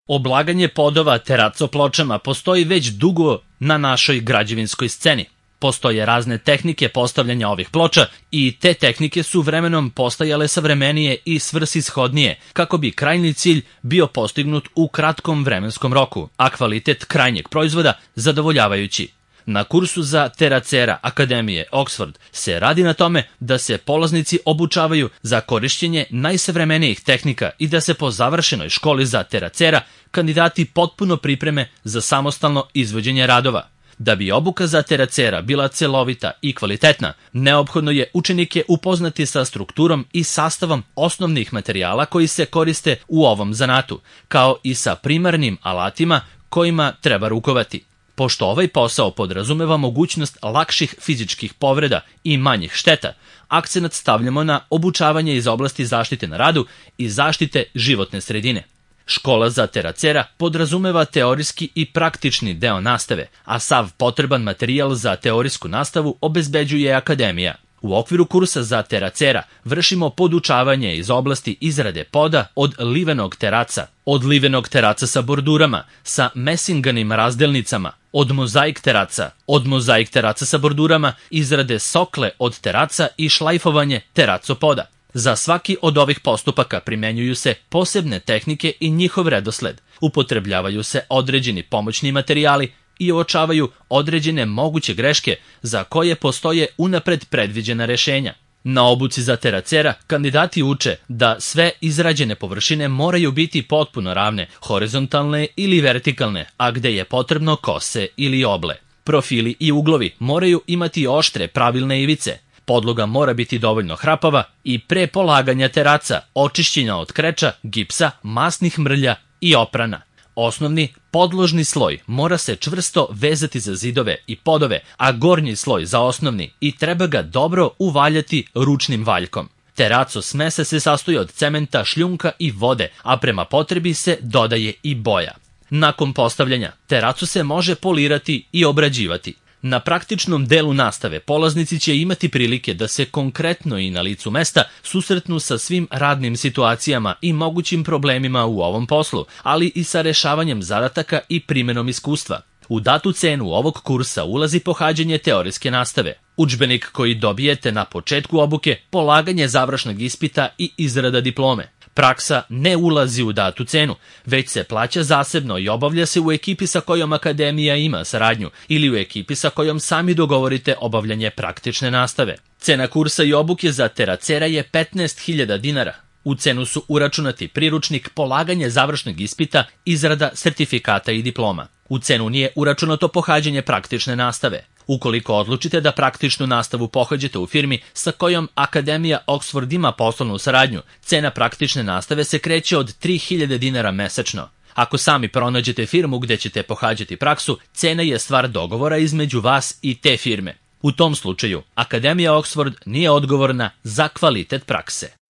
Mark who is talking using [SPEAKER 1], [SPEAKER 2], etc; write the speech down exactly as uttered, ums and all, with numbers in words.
[SPEAKER 1] Oblaganje podova teraco pločama postoji već dugo na našoj građevinskoj sceni. Postoje razne tehnike postavljanja ovih ploča i te tehnike su vremenom postajale savremenije i svrsishodnije kako bi krajnji cilj bio postignut u kratkom vremenskom roku, a kvalitet krajnjeg proizvoda zadovoljavajući. Na kursu za teracera Akademije Oxford se radi na tome da se polaznici obučavaju za korišćenje najsavremenijih tehnika i da se po završenoj školi za teracera kandidati potpuno pripreme za samostalno izvođenje radova. Da bi obuka za teracera bila celovita i kvalitetna, neophodno je učenike upoznati sa strukturom i sastavom osnovnih materijala koji se koriste u ovom zanatu, kao i sa primarnim alatima kojima treba rukovati. Pošto ovaj posao podrazumeva mogućnost lakših fizičkih povreda i manjih šteta, akcenat stavljamo na obučavanje iz oblasti zaštite na radu i zaštite životne sredine. Škola za teracera podrazumeva teorijski i praktični deo nastave, a sav potreban materijal za teorijsku nastavu obezbeđuje Akademija. U okviru kursa za teracera vršimo podučavanje iz oblasti izrade poda od livenog teraca, od livenog teraca sa bordurama, sa mesinganim razdelnicama, od mozaik teraca, od mozaik teraca sa bordurama, izrade sokle od teraca i šlajfovanje teraco poda. Za svaki od ovih postupaka primenjuju se posebne tehnike i njihov redosled. Upotrebljavaju se određeni pomoćni materijali i uočavaju određene moguće greške za koje postoje unapred predviđena rešenja. Na obuci za teracera kandidati uče da sve izrađene površine moraju biti potpuno ravne, horizontalne ili vertikalne, a gde je potrebno kose ili oble. Profili i uglovi moraju imati oštre, pravilne ivice. Podloga mora biti dovoljno hrapava i pre polaganja teraca očišćena od kreča, gipsa, masnih mrlja i oprana. Osnovni podložni sloj mora se čvrsto vezati za zidove i podove, a gornji sloj za osnovni i treba ga dobro uvaljati ručnim valjkom. Teraco smese se sastoji od cementa, šljunka i vode, a prema potrebi se dodaje i boja. Nakon postavljanja, teracu se može polirati i obrađivati. Na praktičnom delu nastave polaznici će imati prilike da se konkretno i na licu mesta susretnu sa svim radnim situacijama i mogućim problemima u ovom poslu, ali i sa rešavanjem zadataka i primenom iskustva. U datu cenu ovog kursa ulazi pohađanje teorijske nastave, udžbenik koji dobijete na početku obuke, polaganje završnog ispita i izrada diplome. Praksa ne ulazi u datu cenu, već se plaća zasebno i obavlja se u ekipi sa kojom Akademija ima saradnju ili u ekipi sa kojom sami dogovorite obavljanje praktične nastave. Cena kursa i obuke za teracera je petnaest hiljada dinara. U cenu su uračunati priručnik, polaganje završnog ispita, izrada sertifikata i diploma. U cenu nije uračunato pohađanje praktične nastave. Ukoliko odlučite da praktičnu nastavu pohađate u firmi sa kojom Akademija Oxford ima poslovnu saradnju, cena praktične nastave se kreće od tri hiljade dinara mesečno. Ako sami pronađete firmu gde ćete pohađati praksu, cena je stvar dogovora između vas i te firme. U tom slučaju, Akademija Oxford nije odgovorna za kvalitet prakse.